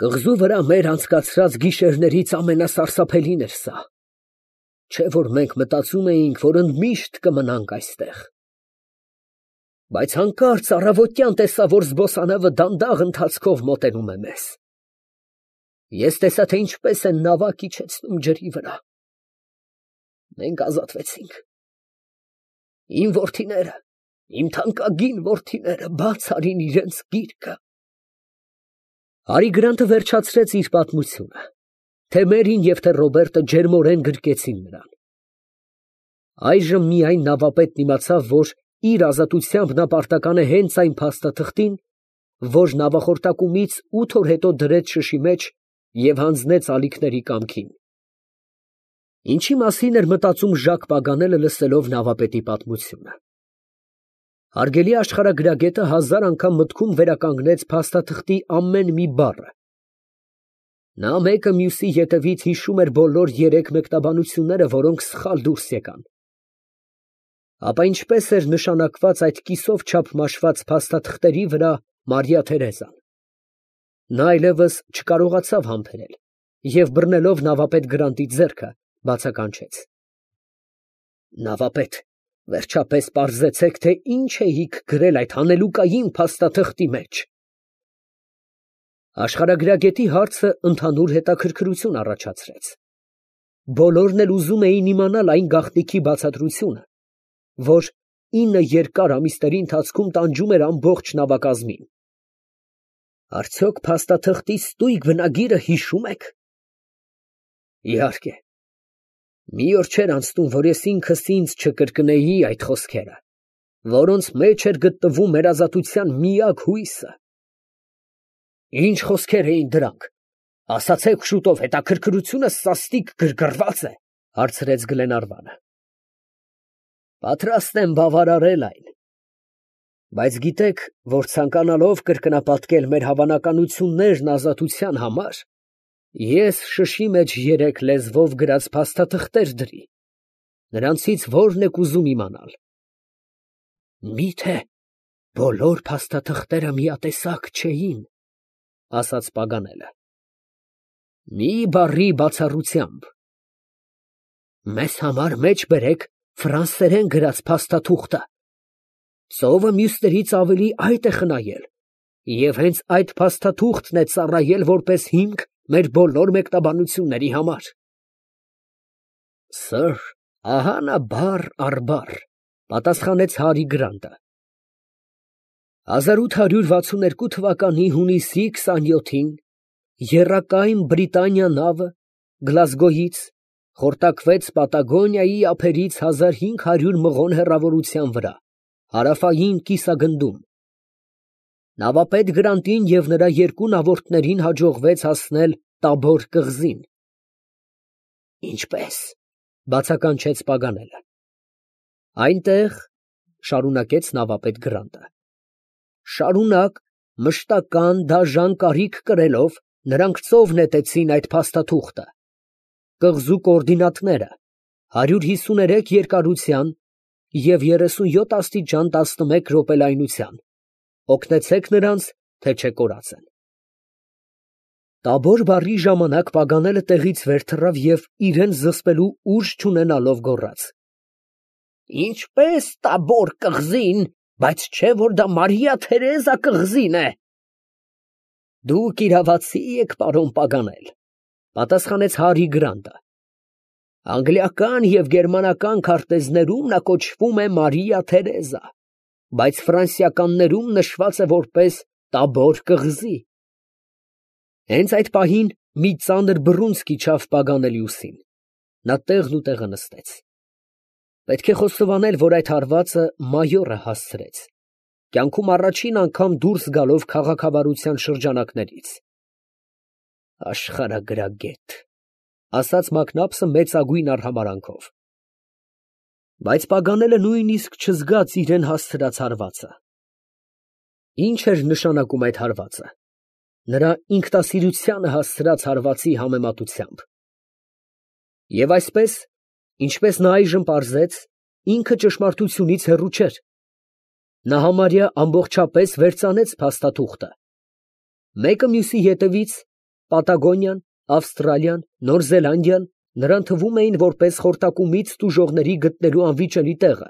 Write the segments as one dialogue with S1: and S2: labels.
S1: Կղզու վրա մեր անցկացրած գիշերներից ամենասարսափելին էր սա, չէ՞ որ մենք մտածում էինք, որ ընդմիշտ կմնանք այստեղ։ Բայց հանկարծ առավոտյան տեսա, որ զբոսանավը դանդաղ ընթացքով մոտենում է մեզ։ Ես տեսա, թե ինչպես են նավակ իջեցնում ջրի վրա։ Մենք ազատվեցինք։ Իմ որդիները, իմ թանկագին որդիները բաց արին իրենց գիրկը։ Հարի Գրանտը վերջացրեց իր պատմությունը, թե Մերին և թե Ռոբերտը ջերմորեն գրկեցին նրան։ Այժմ միայն նավապետն իմացավ, որ իր ազատությամբ նա պարտական է հենց այն փաստաթղթին, որ նավախորտակումից 8 օր հետո դրեց շշի մեջ և հանձնեց ալիքների կամքին։ Ինչի մասին էր մտածում Ժակ Պագանելը, լսելով նավապետի պատմությունը։ Հարգելի աշխարհագրագետը 1000 անգամ մտքում վերականգնեց փաստաթղթի ամեն մի բառը։ Նա մեկը մյուսի ետևից հիշում էր բոլոր 3 մեկնաբանությունները, որոնք սխալ դուրս եկան։ Ապա ինչպես էր նշանակված այդ կիսով չափ մաշված փաստաթղթերի վրա Մարիա Թերեզան։ Նա այլևս չկարողացավ համբերել և բռնելով նավապետ Գրանտի ձեռքը, բացականչեց. Նավապետ, վերջապես պարզեցեք, թե ինչ էիք գրել այդ հանելուկային փաստաթղթի մեջ։ Աշխարհագրագետի հարցը ընդհանուր հետաքրքրություն առաջացրեց։ Բոլորն էլ ուզում էին իմանալ այն գաղտնիքի բացատրությունը, որ 9 երկար ամիսների ընթացքում տանջում էր ամբողջ նավակազմին։ Արդյոք փաստաթղթի ստույգ բնագիրը հիշում եք։ Իհարկե։ Մի օր չէր անցնում, որ ես ինքս ինձ չկրկնեի այդ խոսքերը, որոնց մեջ էր գտնվում մեր ազատության միակ հույսը։ Ինչ խոսքեր էին դրանք։ Ասացեք շուտով, հետաքրքրությունս սաստիկ գրգռված է, հարցրեց Գլենարվանը։ Պատրաստ եմ բավարարել այն։ Բայց գիտեք, որ ցանկանալով կրկնապատկել մեր հավանականություններն ազատության համար, ես շշի մեջ 3 լեզվով գրած փաստաթղթեր դրի։ Նրանցից որն եք ուզում իմանալ։ Միթե բոլոր փաստաթղթերը միատեսակ չէին, ասաց Պագանելը։ Մի բառի բացառությամբ։ Մեզ համար մեջ բերեք ֆրանսերեն գրած փաստաթուղթը։ Ծովը մյուսներից ավելի այդ է խնայել, և հենց այդ փաստաթուղթն է ծառայել որպես հիմք մեր բոլոր մեկնաբանությունների համար։ Սըր, ահա նա բառ առ բառ, պատասխանեց Հարի Գրանտը։ 1862 թվականի հունիսի 27-ին եռակայն Բրիտանիա նավը Գլազգոյից խորտակվեց Պատագոնիայի ափերից 1500 մղոն հեռավորության վրա, հարավային կիսագնդում։ Նավապետ Գրանտին և նրա 2 նավորդներին հաջողվեց հասնել Տաբոր կղզին։ Ինչպե՞ս, բացականչեց Պագանելը։ Այնտեղ, շարունակեց նավապետ Գրանտը, շարունակ մշտական դաժան կարիք կրելով, նրանք ծով նետեցին այդ փաստաթուղթը։ Կղզու կոորդինատները 153 երկարության և 37 աստիճան 11 րոպե լայնության։ Օգնեցեք նրանց, թե չէ կորած են։ Տաբոր բառի ժամանակ Պագանելը տեղից վեր թռավ և իրեն զսպելու ուժ չունենալով գոռաց. Ինչպես Տաբոր կղզին, բայց չէ որ դա Մարիա Թերեզա կղզին է։ Դուք իրավացի եք, պարոն Պագանել, պատասխանեց Հարի Գրանտը։ Անգլիական և գերմանական քարտեզներում նա կոչվում է Մարիա Թերեզա, բայց ֆրանսիականներում նշված է որպես Տաբոր կղզի։ Հենց այդ պահին մի ծանր բռունցք իջավ Պագանելի ուսին։ Նա տեղն ու տեղը նստեց։ Պետք է խոստովանել, որ այդ հարվածը մայորը հասցրեց, կյանքում առաջին անգամ դուրս գալով քաղաքավարության շրջանակներից։ Աշխարհագրագետ, ասաց Մակնաբսը մեծագույն արհամարհանքով։ Բայց Պագանելը նույնիսկ չզգաց իրեն հասցրած հարվածը։ Ինչ էր նշանակում այդ հարվածը։ Նրա ինքնասիրությանը հասցրած հարվածի համեմատությամբ։ Եվ այսպես, ինչպես նա այժմ պարզեց, ինքը ճշմարտությունից հեռու չէր։ Նա համարյա ամբողջապես վերծանեց փաստաթուղթը։ Մեկը մյուսի ետևից Պատագոնիան, Ավստրալիան, Նոր Զելանդիան նրան թվում էին որպես խորտակումից տուժողների գտնելու անվիճելի տեղը։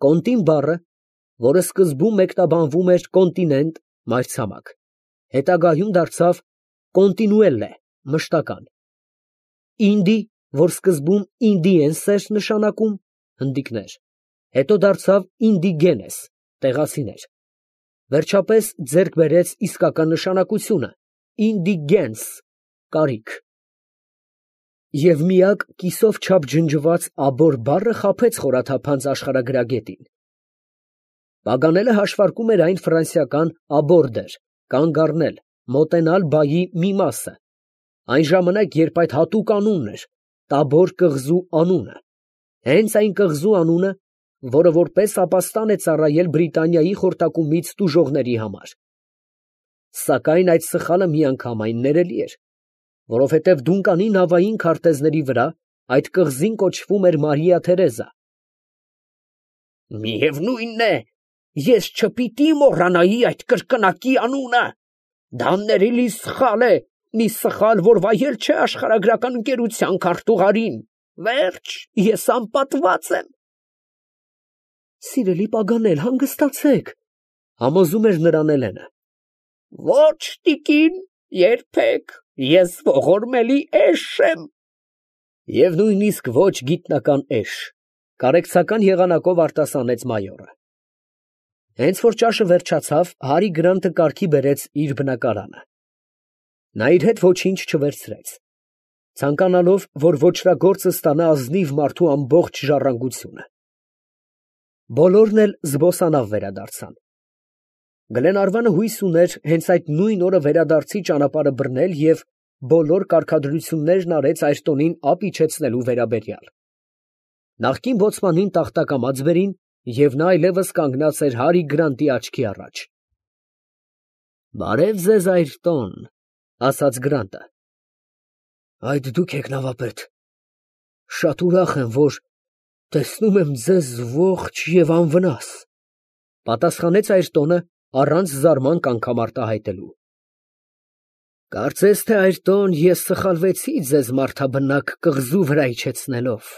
S1: Կոնտին բառը, որը սկզբում մեկնաբանվում էր կոնտինենտ, մայրցամաք, հետագայում դարձավ կոնտինուելլե, մշտական։ Ինդի, որ սկզբում ինդիենս էր նշանակում, հնդիկներ, հետո դարձավ ինդիգենես, տեղացիներ, վերջապես ձեռք բերեց իսկական նշանակությունը, ինդիգենս, կարիք։ Եվ միակ կիսով չափ ջնջված աբոր բառը խաբեց խորաթափանց աշխարհագրագետին։ Պագանելը հաշվարկում էր այն ֆրանսիական աբորդեր, կանգ առնել, մոտենալ բայի մի մասը, այն ժամանակ, երբ այդ հատուկ անունն էր, Տաբոր կղզու անունը, հենց այն կղզու անունը, որը որպես ապաստան է ծառայել Բրիտանիայի խորտակումից տուժողների համար։ Սակայն այդ սխալը միանգամայն ներելի էր, որովհետև Դունկանի նավային քարտեզների վրա այդ կղզին կոչվում էր Մարիա Թերեզա։ Միևնույնն է, ես չպիտի մոռանայի այդ կրկնակի անունը, դա ներելի սխալ է, մի սխալ, որ վայել չէ աշխարհագրական ընկերության քարտուղարին, վերջ, ես անպատված եմ։ Սիրելի Պագանել, հանգստացեք, համոզում էր նրան Էլենը։ Ոչ, տիկին, երբեք, ես ողորմելի էշ եմ։ Եվ նույնիսկ ոչ գիտնական էշ, կարեկցական եղանակով արտասանեց մայորը։ Հենց որ ճաշը վերջացավ, Հարի Գրանտը կարգի բերեց իր բնակարանը։ Նա իր հետ ոչինչ չվերցրեց, ցանկանալով, որ ոչրագործը ստանա ազնիվ մարդու ամբողջ ժառանգությունը։ Բոլորն էլ զբոսանավ վերադարձան։ Գլենարվանը հույս ուներ հենց այդ նույն օրը վերադարձի ճանապարհը բռնել և բոլոր կարգադրություններն արեց Այրտոնին ափ իջեցնելու վերաբերյալ։ Նախկին բոցմանին տախտակամած բերին, և նա այլևս կանգնած էր Հարի Գրանտի աչքի առաջ։ Բարև ձեզ, Այրտոն, ասաց Գրանտը։ Այդ դուք եք, նավապետ։ Շատ ուրախ եմ, որ տեսնում եմ ձեզ ողջ և անվնաս, պատասխանեց Այրտոնը առանց զարմանք անգամ արտահայտելու։ Կարծես թե, Այրտոն, ես սխալվեցի ձեզ մարդաբնակ կղզու վրա իջեցնելով։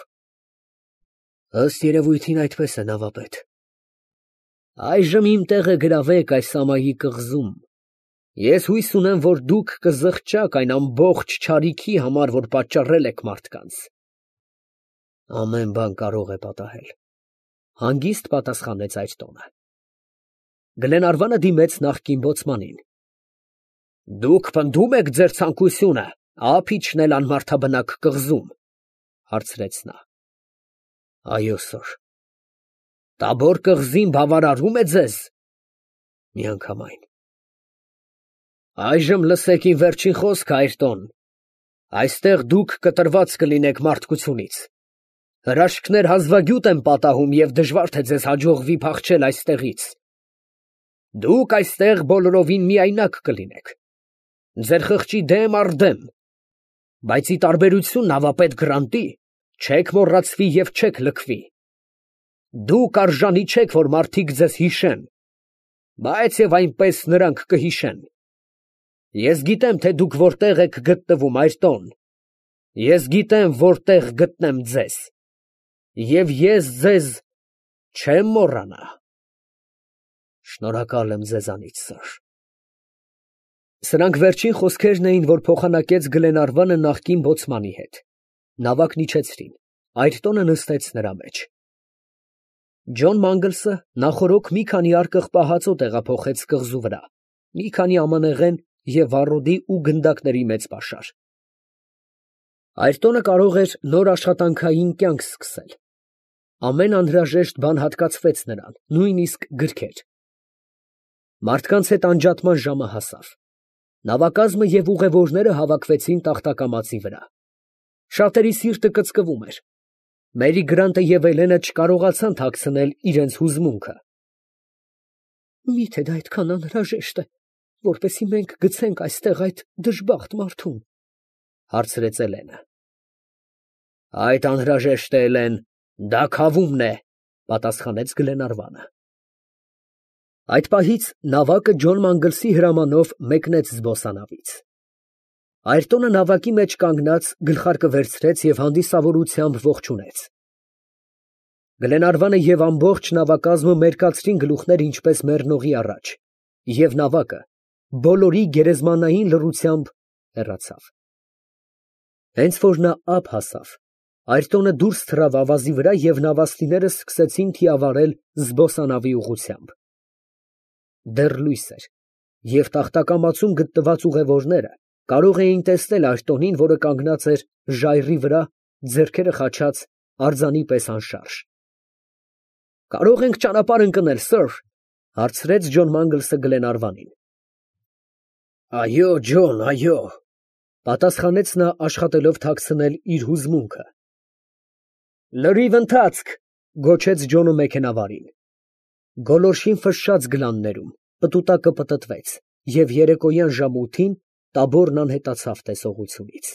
S1: Ըստ երևույթին այդպես է, նավապետ։ Այժմ իմ տեղը գրավեք այս ամայի կղզում։ Ես հույս ունեմ, որ դուք կզղջաք այն ամբողջ չարիքի համար, որ պատճառել եք մարդկանց։ Ամեն բան կարող է պատահել, հանգիստ պատասխանեց Այրտոնը։ Գլենարվանը դիմեց նախկին բոցմանին։ Դուք պնդում եք ձեր ցանկությունը ափ իջնել անմարդաբնակ կղզում, հարցրեց նա։ Այո, սըր։ Տաբոր կղզին բավարարում է ձեզ։ Միանգամայն։ Այժմ լսեք իմ վերջին խոսքը, Այրտոն։ Այստեղ դուք կտրված կլինեք մարդկությունից։ Հրաշքներ հազվագյուտ են պատահում և դժվար թե ձեզ հաջողվի փախչել այստեղից։ Դուք այստեղ բոլորովին միայնակ կլինեք։ Ձեր խղճի դեմ առ դեմ, բայց ի տարբերություն նավապետ Գրանտի, չեք մոռացվի և չեք լքվի։ Դուք արժանի չեք, որ մարդիկ ձեզ հիշեն, բայց և այնպես նրանք կհիշեն։ Ես գիտեմ, թե դուք որտեղ եք գտնվում, Այրտոն։ Ես գիտեմ, որտեղ գտնեմ ձեզ։ Եվ ես ձեզ չեմ մոռանա։ Շնորհակալ եմ ձեզանից, սըր։ Սրանք վերջին խոսքերն էին, որ փոխանակեց Գլենարվանը նախկին բոցմանի հետ։ Նավակն իջեցրին, Այրտոնը նստեց նրա մեջ։ Ջոն Մանգլսը նախօրոք մի քանի արկղ պահածո տեղափոխեց կղզու վրա, մի քանի ամանեղեն և վառոդի ու գնդակների մեծ պաշար։ Այրտոնը կարող էր նոր աշխատանքային կյանք սկսել։ Ամեն անհրաժեշտ բան հատկացվեց նրան, նույնիսկ գրքեր։ Մարդկանց հետ անջատման ժամը հասավ։ Նավակազմը և ուղևորները հավաքվեցին տախտակամածի վրա։ Շատերի սիրտը կծկվում էր։ Մերի Գրանտը և Էլենը չկարողացան թաքցնել իրենց հուզմունքը։ Միթե դա այդքան անհրաժեշտ է, որպեսզի մենք գցենք այստեղ այդ դժբախտ մարդուն, հարցրեց Էլենը։ Այդ անհրաժեշտ է, Էլեն, դա քավումն է, պատասխանեց Գլենարվանը։ Այդ պահից նավակը Ջոն Մանգլսի հրամանով մեկնեց զբոսանավից։ Այրտոնը նավակի մեջ կանգնած գլխարկը վերցրեց և հանդիսավորությամբ ողջունեց։ Գլենարվանը և ամբողջ նավակազմը մերկացրին գլուխներ ինչպես մեռնողի առաջ, և նավակը բոլորի գերեզմանային լռությամբ հեռացավ։ Հենց որ նա ափ հասավ, Այրտոնը դուրս թռավ ավազի վրա և նավաստիները սկսեցին թիավարել զբոսանավի ուղղությամբ։ Դեռ լույս էր, և տախտակամածում գտնված ուղևորները կարող էին տեսնել Այրտոնին, որը կանգնած էր ժայռի վրա, ձեռքերը խաչած, արձանի պես անշարժ։ «Կարո՞ղ ենք ճանապարհ ընկնել, սըր», ֊ հարցրեց Ջոն Մանգլսը Գլենարվանին։ «Այո, Ջոն, այո», ֊ պատասխանեց նա, աշխատելով թաքցնել իր հուզմունքը։ «Լրիվ ընթացք», ֊ գոչեց Ջոնը մեքենավարին։ Գոլորշին ֆշշաց գլաններում, պտուտակը պտտվեց, և երեկոյան ժամը 8-ին տաբորն անհետացավ տեսողությունից։